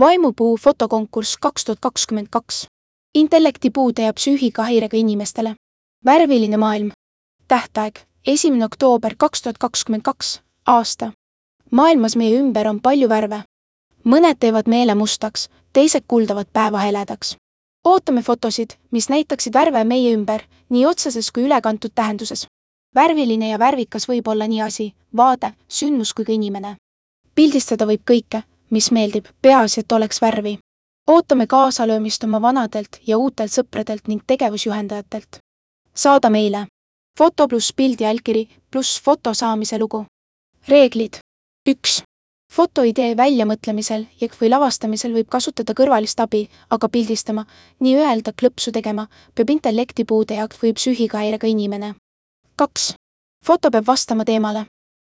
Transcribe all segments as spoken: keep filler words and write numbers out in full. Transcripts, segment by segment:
Vaimupuu fotokonkurss kaks tuhat kakskümmend kaks. Intellektipuude ja psüühikahäirega inimestele. Värviline maailm. Tähtaeg esimene oktoober kaks tuhat kakskümmend kaks aasta. Maailmas meie ümber on palju värve. Mõned teevad meele mustaks, teised kuldavad päeva heledaks. Ootame fotosid, mis näitaksid värve meie ümber, nii otseses kui ülekantud tähenduses. Värviline ja värvikas võib olla nii asi, vaade, sündmus kui ka inimene. Pildistada võib kõike, mis meeldib, peaasi, et oleks värvi. Ootame kaasalöömist oma vanadelt ja uutelt sõpradelt ning tegevusjuhendajatelt. Saada meile. Foto pluss pildi allkiri pluss foto saamise lugu. Reeglid. üks. Fotoidee väljamõtlemisel ja või lavastamisel võib kasutada kõrvalist abi, aga pildistama, nii öelda klõpsu tegema, peab intellektipuude ja või psüühikahäirega inimene. kaks. Foto peab vastama teemale.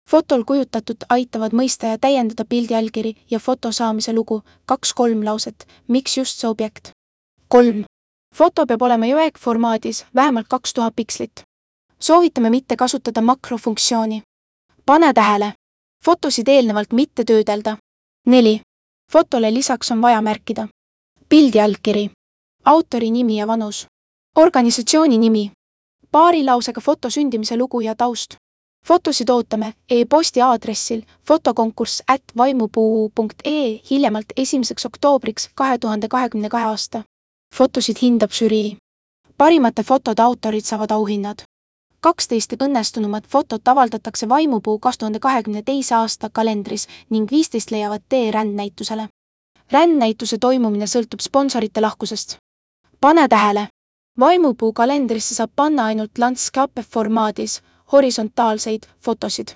Fotol kujutatud aitavad mõista ja täiendada pildi allkiri ja foto saamise lugu, kaks-kolm lauset, miks just see objekt. kolm. Foto peab olema JPEG-formaadis, vähemalt kaks tuhat pikslit. Soovitame mitte kasutada makrofunktsiooni. Pane tähele. Fotosid eelnevalt mitte töödelda. neli. Fotole lisaks on vaja märkida. Pildi allkiri. Autori nimi ja vanus. Organisatsiooni nimi. Paari lausega foto sündimise lugu ja taust. Fotosid ootame e-posti aadressil fotokonkurss at vaimupuu punkt ee hiljemalt esimeseks oktoobriks kahe tuhande kahekümne kahe aasta. Fotosid hindab žürii. Parimate fotode autorid saavad auhinnad. kaksteist õnnestunumad fotot avaldatakse Vaimupuu kahe tuhande kahekümne teise aasta kalendris ning viisteist leiavad tee rändnäitusele. Rändnäituse toimumine sõltub sponsorite lahkusest. Pane tähele. Vaimupuu kalendrisse saab panna ainult landscape formaadis horisontaalseid fotosid.